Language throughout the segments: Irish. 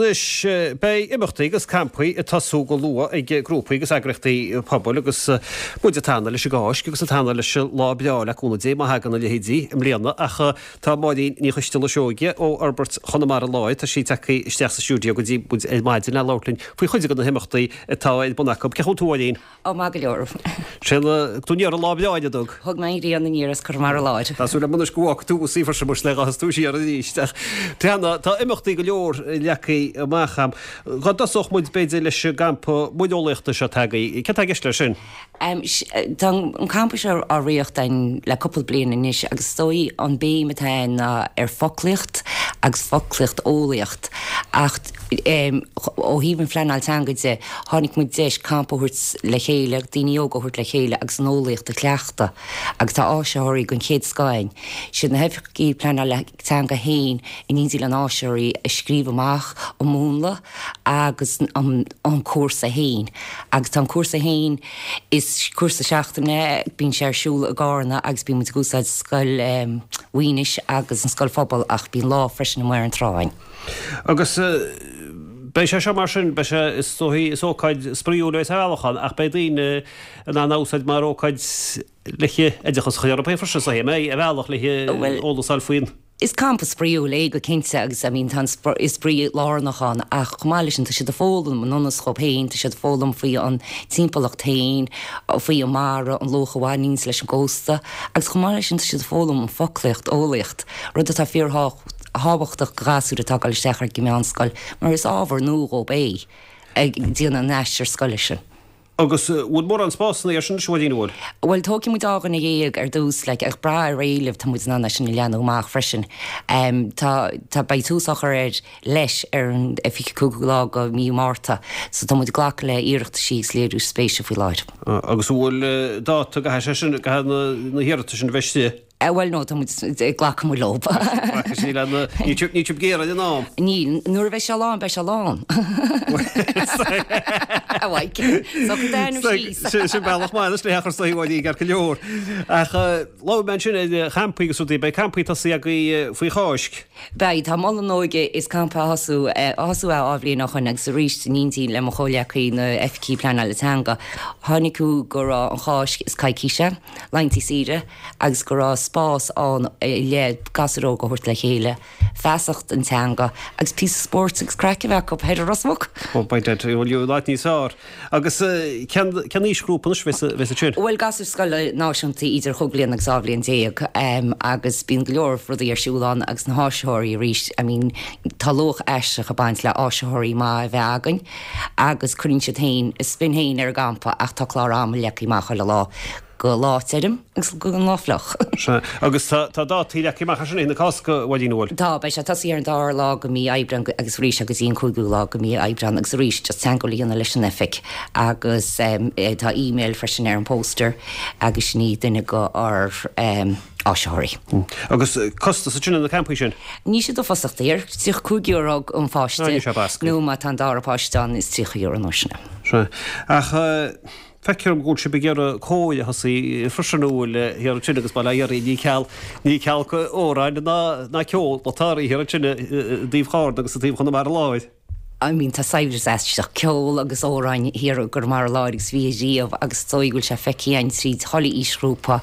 Anois, beidh imeachtaí agus campaí ag tosú go luath ag grúpaí agus eagraíochtaí pobail agus muid ag teannadh leis an gCáisc agus ag teannadh leis an lá breá le cúnamh Dé má thagann a leithéidí i mbliana ach tá Máirín Ní Choisteala Seoige ó Fhorbairt Chonamara Láir, tá sí tagtha isteach sa stiúideo go dtí muid ar maidin le labhairt linn faoi chuid de na himeachtaí atá ar bun acu. Cén chaoi a bhfuil tú a Mháirín? Ó, maith go leor. Sé thug tú aniar an lá breá an dtug? Thug mé an ghrian aniar as Conamara Láir. Tá súil agam anois go bhfágfaidh tú thuas í freisin muis le dhá tú siar arís. Ach breathnaigh, tá imeachtaí go leor leagtha amach a'm. Dhá dtosódh muid b'fhéidir leis an gcampa muireolaíochta seo atá agaibh. Céard tá i gceist leis sin? Tá an campa seo á reáchtáil againn le cúpla bliain anois agus is dóigh an béim atá ann ná ar foclaíocht agus foclaíocht eolaíocht ach Ó thaobh an phleanáil teanga de, chonaic muid deis campa a thabhairt le chéile, daoine óga a thabhairt le chéile agus an eolaíocht a chleachtadh agus tá áisitheoirí den chéad scoth againn. Siad na hoifigigh pleanála teanga féin in éindí le na áisitheoirí a scríobh amach an múnla agus an cúrsa féin agus tá an cúrsa féin, is cúrsa seachtaine é, bíonn sé ar siúl i gCarna agus bíonn muid ag úsáid Scoil Mhaínis agus an Scoil Phobail ach bíonn lá freisin amuigh ar an trá againn. Agus beidh sé seo mar sin, beidh sé, is dóichí, is ócáid spraíúil é ar bhealach ann ach beidh daoine in ann a úsáid mar ócáid le hoideachas a chur orthu féin freisin, is dóichí, an mbeidh, ar bhealach le eolas a fháil faoin. Is campa spraíúil é go cinnte agus I mean tá an spraoi lárnach ann ach chomh maith leis sin tá siad ag foghlaim ionas dhóibh féin, tá siad ag foghlaim faoi an timpeallacht féin, faoi an mara, an luach a bhaineanns leis an gcósta agus chomh maith leis sin tá siad ag foghlaim an foclaíocht, eolaíocht, rud atá fíor thábhachtach do ghasúir atá ag dul isteach ar an meánscoil mar is ábhar nua dhóibh é ag déanamh an aistir scoile sin. Agus bhfuil mórán spásanna air sin anois, a Mháirín, an bhfuil? Bhuel, tógfaidh muid 12 dhuine ar dtús, like, ag brath ar éileamh tá muid in ann é sin a leathnú amach freisin. Tá, tá, beidh tús á chur air leis ar an 25ú lá de mhí Márta, so tá muid ag glacadh le hiarrataisí agus léiriú spéise faoi láthair. Agus an bhfuil dáta go gcaithfidh sé sin, go gcaithfidh na hiarratais sin a bheith istigh? Bhuel, no, tá muid ag glacadh muid leo. Glacadh sí le na, níl sibh ag iarraidh an am. Níl, nuair a bheidh sé lán, beidh sé lán. A Mhaidhc, socraigh d'ainm síos. Sin bealach maith anois le hachar saoi uaidh ceart go leor. Ach labhair mé ansin ar champaí agus rudaí, beidh campaí tosaithe agaibh faoi Cháisc. Beidh, tá Mol na nÓige is campa á thosú, á thosú é dhá bhliain ó shoin agus arís in éindí le mo chomhghleacaí na Oifigí Pleanála Teanga, chonaic go raibh an Cháisc is coicís é, laethanta saoire, agus go raibh spás ann le gasúir óga a thabhairt le chéile, feasacht an teanga agus píosa spóirt agus craic a bheith acu thoir i Ros Muc. Ó, beidh dead, bhuel, gheobhaidh lad níos fearr. Agus cén, cén aoisghrúpa anois a bheas, a bheas ansin? Bhuel, gasúir scoile náisiúnta idir chúig bliana agus 12 bhliain agus bíonn go leor rudaí ar siúl ann agus na háisitheoirí arís, I mean, tá luach aisteach ag baint le áisitheoirí maith a bheith againn agus cuireann siad féin a spin féin ar an gcampa ach tá clár ama leagtha amach chuile lá. Go lá tirim agus go lá fliuch. Sea. Agus tá, tá dátaí leagtha amach ansin na Cásca, a Mháirín, an bhfuil? Tá, beidh sé tosaithe ar an dara lá go mí Aibreán agus arís go dtí an cúigiú lá go mí Aibreán agus arís just teagmháil a dhéanamh leis an oifig agus tá email freisin ar an póster agus sin í duine go ár áisitheoirí. Agus costas ansin ar na campaí sin? Níl siad uafásach daor, €35 an pháiste Níl sé bascaí. nó má tá an dara páiste ann is €30 an uair sin é. Sea. Ach. Feictear dom go bhfuil sibh ag iarraidh cór a thosaí freisin an bhfuil thiar ansin agus bail ó Dhia oraibh ní ceal ní ceal amhráin ná ná ceol atá oraibh thiar ansin i dtaobh Chárna agus i dtaobh Chonamara Láir. I mean tá saibhreas aisteach ceol agus amhráin thiar i gConamara Láir agus bhí riamh agus is dóigh go bhfuil sé feicthe againn tríd chuile aoisghrúpa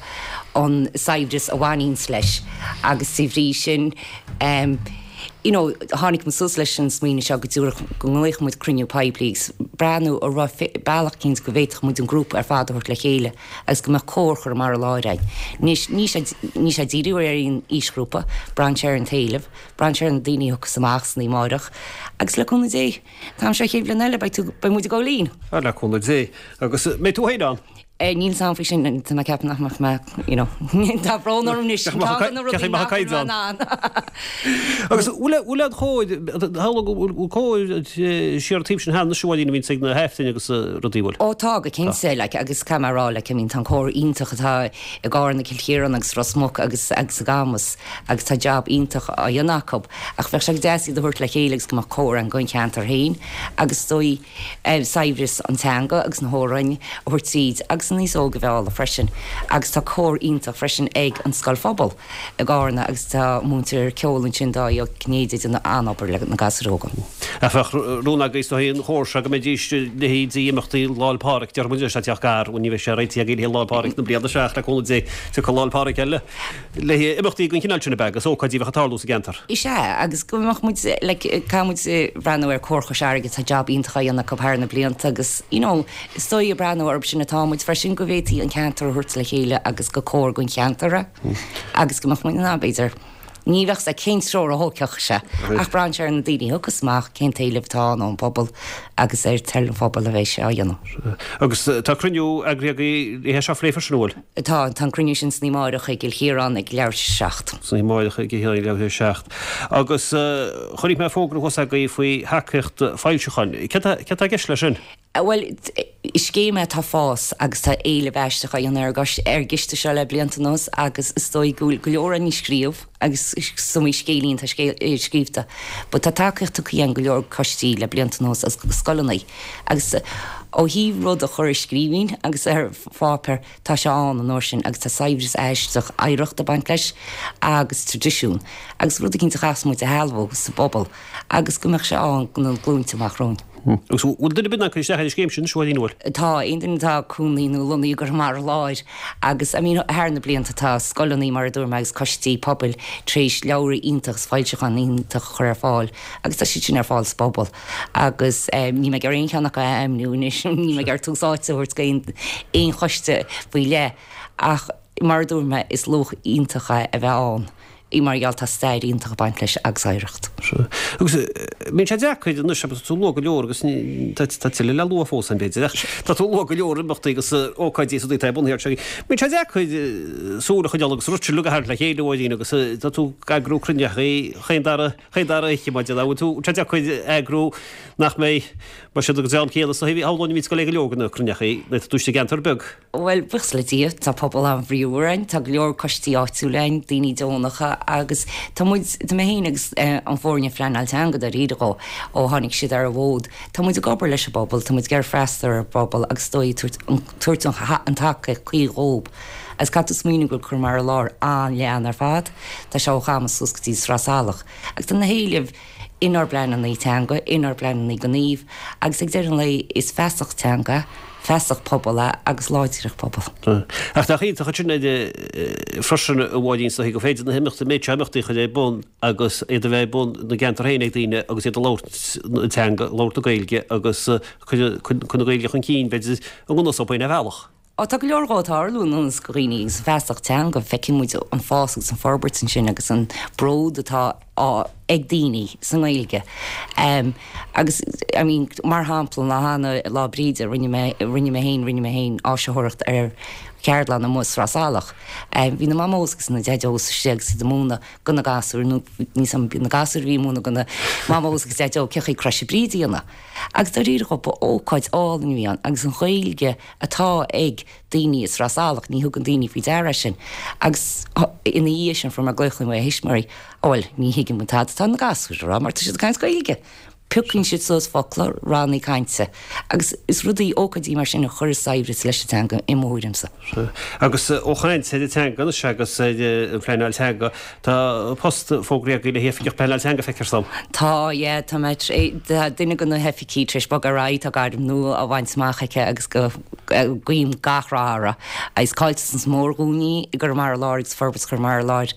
an saibhreas a bhaineanns leis agus de bhrí sin em you know, tháinig muid suas leis an smaoineamh seo go dtabharfadh, go nglaofadh muid cruinniú poiblí agus breathnú an raibh bealach eicínt go bhféadfadh muid an grúpa ar fad a thabhairt le chéile agus go mbeadh cór Chonamara Láir againn. Anois, níl sé, níl sé ag díriú ar aon aoisghrúpa, braitheann sé ar an t-éileamh, braitheann sé ar na daoine a thiocfas amach san oíche amárach agus le cúnamh Dé, an t-am seo chéad bhliain eile beidh tú, beidh muid ag gabháil fhoinn! Ah, le cúnamh Dé. Agus mbeidh tú féin ann? Níl 's a'm faoi sin, tá mé ag ceapadh nach mbeadh mé, you know, tá brón orm anois, ceann de na rudaí nach bhfuil mé in ann. Agus bhfuil bhfuil an chóir, tharla go bhfuil cóir siar an taobh sin cheana anois a Mháirín a bhíonns ag na hAifrinn agus rudaí, bhfuil? Ó tá, go cinnte, like, agus caithfidh mé a rá, like, I mean, tá an cór iontach atá i gCarna, Cill Chiaráin agus Ros Muc agus agus i gCamus agus tá jab iontach á dhéanamh acu ach bheadh sé go deas iad a thabhairt le chéile agus go mbeadh cór ann don cheantar féin agus is dóigh, saibhreas an teanga agus na hamhráin a thabhairt tríd agus. agus an aos óg a mhealladh freisin agus tá cór iontach freisin ag an Scoil Phobail i gCarna agus tá múinteoir ceoil ansin Dáithí Ó Cinnéide ag déanamh an-obair le na gasúir óga. Ach bheadh rún agaibh is dóigh an chór seo go mbeidís leithéidí imeachtaí Lá 'le Pádraig, déarfaidh muid anois tá teach gar, bhuel ní bheidh sé réitithe agaibh le haghaidh Lá 'le Pádraig na bliana seo ach le cúnamh Dé tiocfaidh Lá 'le Pádraig eile le haghaidh imeachtaí den chineál sin ab ea agus ócáidí a bheadh ag tarlú sa gceantar. Is ea, agus go mbeadh muid, like, caithfidh muid breathnú ar Chór Chois Fharraige, tá jab iontach á dhéanamh acu thar na blianta agus, you know, is dóigh ag breathnú orthu sin atá muid freisin, go bhféadfaí an ceantar a thabhairt le chéile agus gur cór don cheantar é agus go mbeadh muid in ann, b'fhéidir, ní bheadh 's a'd cén treoir a thógfadh sé ach braitheann sé ar na daoine a thiocfas amach, cén t-éileamh atá ann ón bpobal agus ar toil an phobail a bheidh sé á dhéanamh. Agus tá cruinniú eagraithe agaibh le haghaidh seo a phlé freisin, an bhfuil? Tá, tá an cruinniú sin san oíche amáireach i gCill Chiaráin ag leathuair tar éis a 7. San oíche amáireach i gCill Chiaráin ag leathuair tar éis a 7. Agus chonaic mé fógra thuas agaibh faoi thacaíocht foilseacháin. Céard atá i gceist leis sin? Bhuel, is scéim é atá ag fás agus tá éileamh aisteach á dhéanamh ar ar an gciste seo le blianta anuas agus is dóigh go bhfuil go leor againn ag scríobh agus is iomaí scéilín atá scríobhta. But tá tacaíocht tugtha againn go leor coistí le blianta anuas agus go scoileanna agus ó thaobh rud a chur i scríbhinn agus ar pháipéar, tá sé ann an uair sin agus tá saibhreas aisteach oidhreachta ag baint leis agus traidisiún agus rud eicínt a chaithfeas muid a shealbhú sa bpobal agus go mbeadh sé ann do na glúinte amach romhainn. Agus bhfuil duine ar bith in ann cur isteach ar an scéim sin, a Mháirín, an bhfuil? Tá, aon duine atá cónaithe nó lonnaithe i gConamara Láir agus I mean thar na blianta tá scoileanna mar a dúirt mé agus coistí pobail tar éis leabhra iontach agus foilseacháin iontach a chur ar fáil agus tá siad sin ar fáil sa bpobal. Agus níl mé ag iarraidh aon cheann acu a ainmniú anois, níl mé ag iarraidh tús áite a thabhairt go aon choiste faoi leith, ach mar a dúirt mé, is luach iontach é a bheith ann mar gheall tá stair iontach ag baint leis agus oidhreacht. Sea. Agus bíonn sé deacair anois, tá tú ag lua go leor agus tá tuilleadh le lua fós ann b'fhéidir, ach tá tú ag lua go leor imeachtaí agus ócáidí is rudaí atá ar bun thiar. Bíonn sé deacair súil a choinneáil agus an rud sin uilig a tharraingt le chéile, a Mháirín, agus tá tú ag eagrú cruinnithe chaon dara Chaon dara oíche, mar an bhfuil tú, tá sé deacair eagrú nach mbeidh, mar siad ag an dream céanna, so shamhlóinn a bhíonns ag goil ag go leor de na cruinneachaí, nuair atá tú istigh i gceantar beag. Bhuel, buíochas le Dia, tá pobal an-bhríomhar ann, tá go leor coistí áitiúla ann, daoine deonacha agus tá muid, tá mé féin agus an foirne phleanáil teanga dáiríre dhó, ó tháinig siad ar an bhfód, tá muid ag obair leis an bpobal, tá muid ag iarraidh freastal ar an bpobal agus is dóigh tabhairt an, tabhairt an tacaíocht cuí dhób. Agus caithfidh tú smaoineamh go bhfuil Conamara Láir an-leathan ar fad, tá sé ó Chamus suas go dtí Sraith Salach, agus tá na héilimh inár bpleananna teanga, inár bpleananna gnímh, agus ag deireadh an lae is feasacht teanga, feasacht pobail é agus láidreacht pobail. Ach nach iontach ansin freisin a Mháirín, is dóichí gur féidir na himeachtaí, an méid seo imeachtaí a chur ar bun agus iad a bheith ar bun ina gceantar féin ag daoine agus iad ag labhairt na teanga, labhairt na Gaeilge agus cur na Gaeilge chun cinn, b'fhéidir, i ngan fhios dóibh féin ar bhealach. Á, tá go leor dhó ag tarlú i ngan fhios do dhaoine agus an feasacht teanga, feiceann muid an fás agus an forbairt ansin agus an bród atá á ag daoine sa nGaeilge. Agus, I mean, mar shampla, an lá cheana, Lá Bríde, rinne mé, rinne mé féin, rinne mé féin áisitheoireacht ar cheardlann amuigh i Sraith Salach. Bhí na mamós agus na deaideos istigh agus iad ag múineadh do na gasúir, nó níos na gasúir a bhí ag múineadh do na mamós agus deaideó cén chaoi croise Bríde a dhéanamh. Agus dáiríre dhó, ba ócáid álainn a bhí ann agus an Ghaeilge atá ag daoine i Sraith Salach, ní thugann daoine faoi deara é sin. Agus ina dhiaidh sin fuair mé glaoch ó thuismitheoirí, Á bhuel, ní thuigeann muid tada atá na gasúir a rá mar tá siad ag caint Gaeilge. Piocann siad suas focla, rannaí cainte. Agus is rudaí, ócáidí mar sin a chuireas saibhreas leis an teanga i mo thuairimse. Sea. Agus ó chaint ar an teanga anois agus ar an phleanáil teanga, Tá post fógraithe agaibh le haghaidh Oifigeach Pleanáil Teanga, feictear dom. Tá, yeah, tá mé, tá duine de na hoifigigh tar éis bogadh ar aghaidh, tá gairm nua á bhaint amach aici agus go, guím gach rath uirthi. Is caillteanas mór dhúinn í i gConamara Láir agus Forbairt Chonamara Láir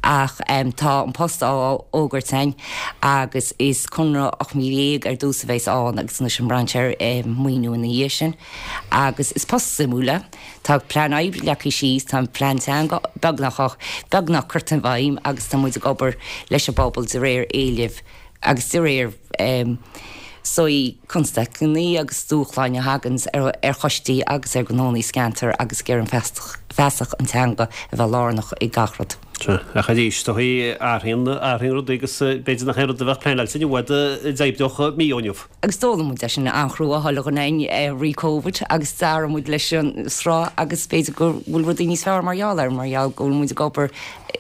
ach tá an post á fhógairt againn agus is conradh 18 mí ar dtús a bheas ann agus anois an braitheann sé ar maoiniú ina dhiaidh sin agus is post suimiúil é. Tá plean oibre leagtha síos, tá an plean teanga beagnach, beagnach curtha i bhfeidhm agus tá muid ag obair leis an bpobal de réir éilimh agus de réir sórt constaicí agus dúshláin a thaganns ar choistí agus ar ghnónnaí sa gceantar agus ag iarraidh an feasacht an teanga a bheith lárnach i gach rud. Sea, ach arís, is dóichí, athraíonn, athraíonn rudaí agus b'fhéidir nach aon rud a bheadh pleanáilte inniu a d'oibreodh mí ó inniu. Agus d'fhoghlaim muid é sin an-chrua chuile dhuine againn i rith Covid agus d'athraigh muid leis an sruth agus b'fhéidir go bhfuil rudaí níos fearr mar gheall air, mar gheall go bhfuil muid ag obair,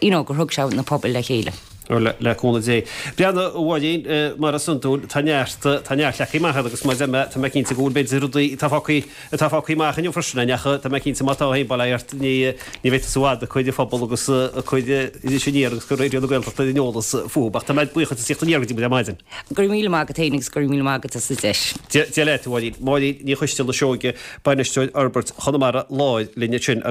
you know, gur thug sé na pobail le chéile. Le cúnamh Dé. Breathnaigh, a Mháirín, mar is iondúil, tá neart, tá neart leagtha amach agat agus mar a deir mé, tá mé cinnte go bhfuil b'fhéidir rudaí atá fágtha, atá fágtha amach inniu freisin, ach tá mé cinnte má tá féin, bail ort, ní, ní bheidh tusa i bhfad ag cur an phobal agus ag cur Iris Aniar agus cur Raidió na Gaeltachta ar an eolas fúthu. Ach tá mé buíoch as tíocht aniar go dtí muid ar maidin. Go raibh míle maith agat féin agus go raibh míle maith agat as an deis. Dia leat, a Mháirín. Máirín Ní Choisteala Seoige, Bainisteoir Fhorbairt Chonamara Láir linn ansin.